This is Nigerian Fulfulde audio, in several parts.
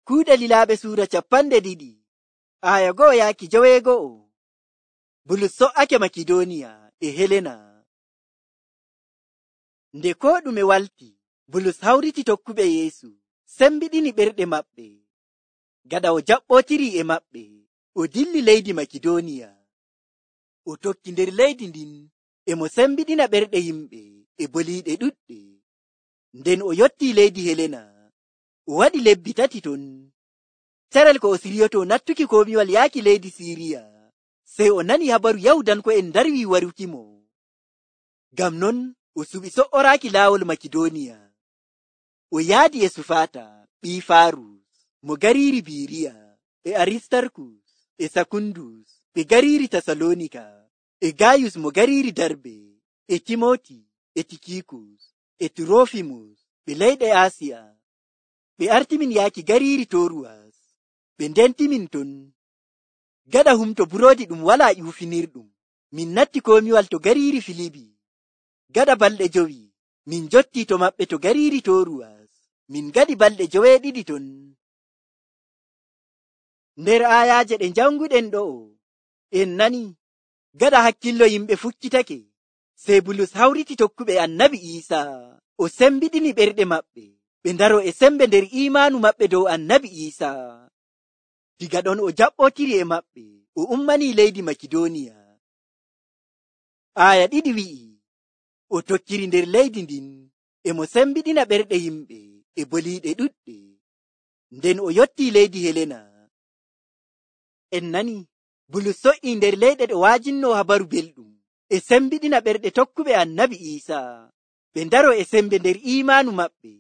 Kuuɗe Lilaaɓe suura 2 aya 1-9. Bulus so'ake Makidooniya e Helena. Nde koo ɗume walti, Bulus hawriti tokkuɓe Yeesu, sembiɗini ɓerɗe maɓɓe. Gaɗa o jaɓɓootiri e maɓɓe, o dilli leydi Makidooniya. O tokki nder leydi ndin e mo sembiɗina ɓerɗe yimɓe e boliiɗe ɗuɗɗe. Nden o yottii leydi Helena, o waɗi lebbi 3 ton. Carel ko o siryoto nattuki komiwal yaaki leydi Siiriya, sey o nani habaru Yahudanko'en darwi warukimo. Ngam non o suɓi so'oraaki laawol Makidooniya. O yaadi e Sufaata, ɓii Faarus, mo gariiri Biiriya, e Aristarkus, e Sakundus, ɓe gariiri Tasalonika, e Gayus mo gariiri Darbe, e Timoti, e Tikikus, e Turofimus, ɓe leyɗe Asiya. Ɓe artimin yaaki gariiri Toruwas, ɓe ndentimin ton. Gaɗa humto buroodi ɗum walaa ƴuufinirɗum, min natti komiwal to gariiri Filibi. Gaɗa balɗe 5, min njottii to maɓɓe to gariiri Toruwas, min gaɗi balɗe 7 ton. Nder aayaaje ɗe janguɗen ɗo'o, en nani, gaɗa hakkillo yimɓe fukkitake, sey Bulus hawriti tokkuɓe Annabi Iisaa, o sembiɗini ɓerɗe maɓɓe, ɓe ndaro e sembe nder iimaanu maɓɓe dow Annabi Iisaa. Diga ɗon o jaɓɓootiri e maɓɓe, o ummanii leydi Makidooniya. Aaya 2 wi'i, o tokkiri nder leydi ndin, e mo sembiɗina ɓerɗe yimɓe e boliiɗe ɗuɗɗe. Nden o yottii leydi Helena. En nani, Bulus so'ii nder leyɗe ɗe waajinno habaru belɗum, e sembiɗina ɓerɗe tokkuɓe Annabi Iisaa, ɓe ndaro e sembe nder iimaanu maɓɓe,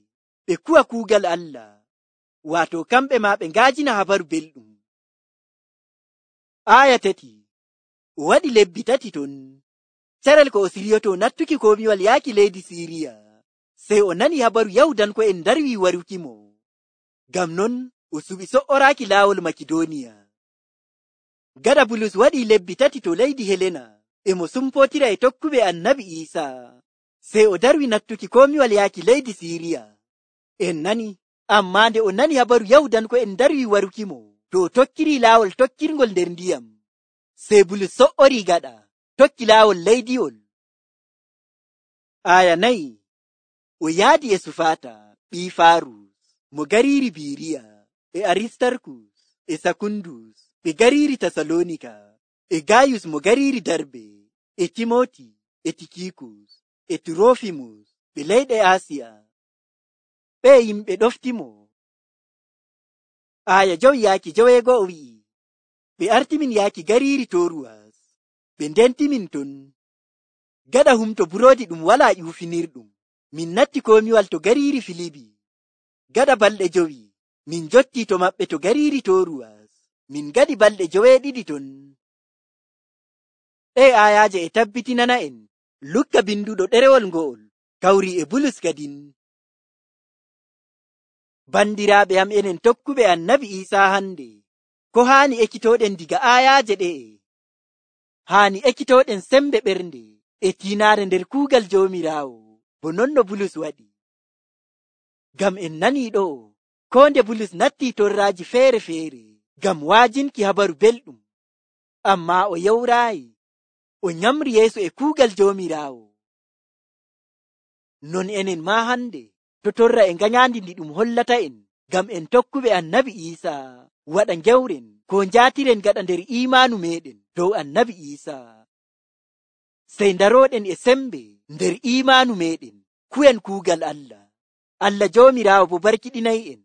ɓe kuwa kuugal Allah, waato kamɓe maa ɓe ngaajina habaru belɗum. Aaya 3, o waɗi lebbi 3 ton. Carel ko o siryoto nattuki komiwal yaaki leydi Siiriya, sey o nani habaru Yahudanko'en darwi warukimo. Ngam non o suɓi so'oraaki laawol Makidooniya. Gaɗa Bulus waɗii lebbi 3 to leydi Helena, e mo sumpootira e tokkuɓe Annabi Iisaa, sey o darwi nattuki komiwal yaaki leydi Siiriya. En nani, ammaa nde o nani habaru Yahudanko'en darwi warukimo, to o tokkiri laawol tokkirgol nder ndiyam, sey Bulus so'orii gaɗa, tokki laawol leydiwol. Aaya 4, o yaadi e Sufaata, ɓii Faarus, mo gariiri Biiriya, e Aristarkus, e Sakundus, ɓe gariiri Tasalonika, e Gayus mo gariiri Darbe, e Timoti, e Tikikus, e Turofimus, ɓe leyɗe Asiya. Ɓe yimɓe ɗoftimo. Aaya 5-9 wi'i, ɓe artimin yaaki gariiri Toruwas, ɓe ndentimin ton. Gaɗa humto buroodi ɗum walaa ƴuufinirɗum, min natti komiwal to gariiri Filibi. Gaɗa balɗe 5, min njottii to maɓɓe to gariiri Toruwas, min gaɗi balɗe 7 ton. Ɗe aayaaje e tabbitinana en Lukka binduɗo ɗerewol ngo'ol kawri e Bulus kadin. Bandiraaɓe am enen tokkuɓe Annabi Iisaa hande, ko haani ekkitooɗen diga aayaaje ɗe'e? Haani ekkitooɗen sembe ɓernde e tiinaare nder kuugal Joomiraawo, bo non no Bulus waɗi. Ngam en nanii ɗo'o, koo nde Bulus nattii torraaji feere-feere ngam waajinki habaru belɗum, ammaa o yewraayi, o nyamri yeeso e kuugal Joomiraawo. Non enen maa hande, to torra e ngañaandi ndi ɗum hollata en, ngam en tokkuɓe Annabi Iisaa waɗa ngewren ko njaatiren gaɗa nder iimaanu meɗen dow Annabi Iisaa. Sey ndarooɗen e sembe nder iimaanu meɗen, ku'en kuugal Allah. Allah Joomiraawo bo barkiɗinay en.